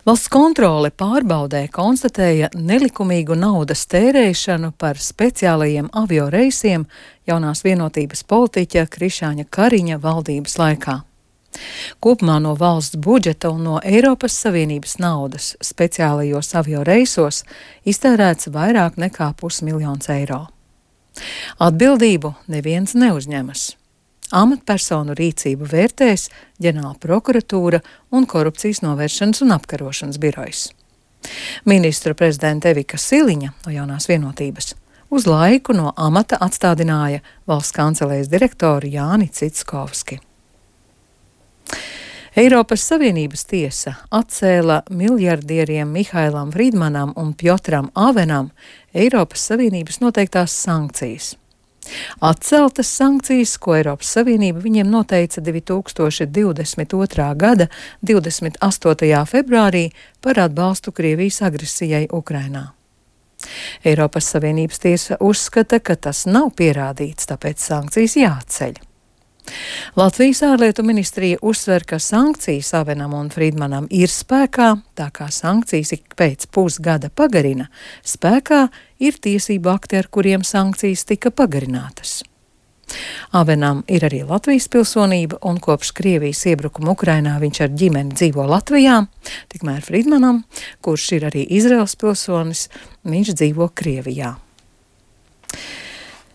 Valsts kontrole pārbaudē konstatēja nelikumīgu naudas tērēšanu par speciālajiem avio reisiem jaunās vienotības politiķa Krišāņa Kariņa valdības laikā. Kopumā no valsts budžeta un no Eiropas Savienības naudas speciālajos avio reisos iztērēts vairāk nekā 500 000 eiro. Atbildību neviens neuzņemas. Amatpersonu rīcību vērtēs ģenerāla prokuratūra un korupcijas novēršanas un apkarošanas birojs. Ministru prezidenta Evika Siliņa no jaunās vienotības uz laiku no amata atstādināja valsts kancelējas direktoru Jāni Citskovski. Eiropas Savienības tiesa atcēla miljardieriem Mihailam Frīdmanam un Pjotram Avenam Eiropas Savienības noteiktās sankcijas. Atceltas sankcijas, ko Eiropas Savienība viņiem noteica 2022. gada 28. februārī par atbalstu Krievijas agresijai Ukrainā. Eiropas Savienības tiesa uzskata, ka tas nav pierādīts, tāpēc sankcijas jāatceļ. Latvijas ārlietu ministrija uzsver, ka sankcijas Avenam un Frīdmanam ir spēkā, tā kā sankcijas ik pēc pusgada pagarina, spēkā ir tiesību akti, ar kuriem sankcijas tika pagarinātas. Avenam ir arī Latvijas pilsonība, un kopš Krievijas iebrukuma Ukrainā viņš ar ģimeni dzīvo Latvijā, tikmēr Frīdmanam, kurš ir arī Izraels pilsonis, viņš dzīvo Krievijā.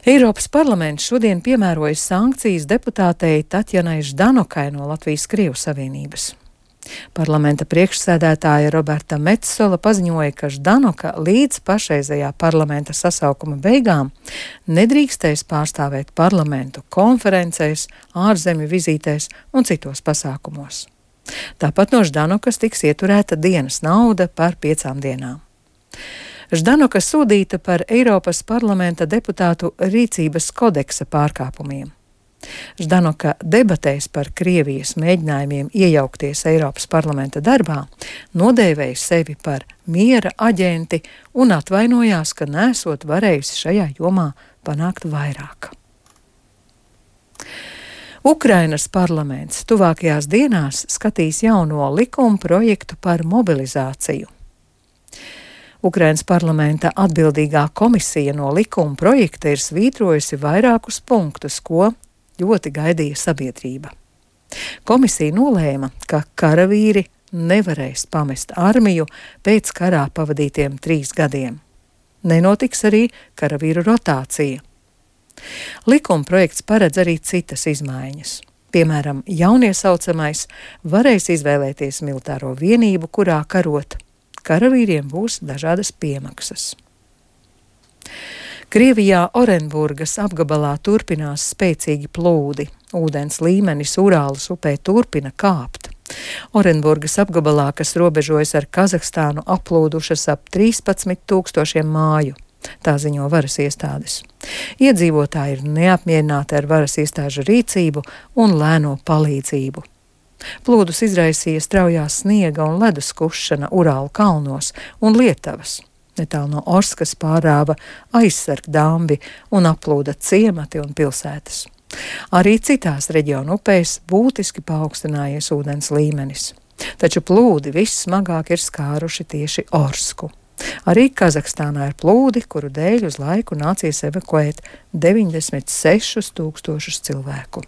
Eiropas parlaments šodien piemēroja sankcijas deputātei Tatjanai Ždanokai no Latvijas Krievu Savienības. Parlamenta priekšsēdētāja Roberta Metsola paziņoja, ka Ždanoka līdz pašreizējā parlamenta sasaukuma beigām nedrīkstēs pārstāvēt parlamentu konferencēs, ārzemju vizītēs un citos pasākumos. Tāpat no Ždanokas tiks ieturēta dienas nauda par 5 dienām. Ždanoka sodīta par Eiropas parlamenta deputātu rīcības kodeksa pārkāpumiem. Ždanoka debatēs par Krievijas mēģinājumiem iejaukties Eiropas parlamenta darbā nodēvēja sevi par miera aģenti un atvainojās, ka nesot varējusi šajā jomā panākt vairāk. Ukrainas parlaments tuvākajās dienās skatīs jauno likuma projektu par mobilizāciju. Ukrainas parlamenta atbildīgā komisija no likuma projekta ir svītrojusi vairākus punktus, ko ļoti gaidīja sabiedrība. Komisija nolēma, ka karavīri nevarēs pamest armiju pēc karā pavadītiem 3 gadiem. Nenotiks arī karavīru rotācija. Likuma projekts paredz arī citas izmaiņas. Piemēram, jauniesaucamais varēs izvēlēties militāro vienību, kurā karot. Karavīriem būs dažādas piemaksas. Krievijā Orenburgas apgabalā turpinās spēcīgi plūdi. Ūdens līmenis Urālas upē turpina kāpt. Orenburgas apgabalā, kas robežojas ar Kazahstānu, aplūdušas ap 13 000 māju. Tā ziņo varas iestādes. Iedzīvotāji ir neapmierināti ar varas iestāžu rīcību un lēno palīdzību. Plūdus izraisīja straujā sniega un ledus kušana Urālu kalnos un Lietavas. Netālu no Orskas pārāva aizsargdambi un aplūda ciemati un pilsētas. Arī citās reģionu upēs būtiski paaugstinājies ūdens līmenis. Taču plūdi vissmagāk ir skāruši tieši Orsku. Arī Kazahstānā ir plūdi, kuru dēļ uz laiku nācies evakuēt 96 000 cilvēku.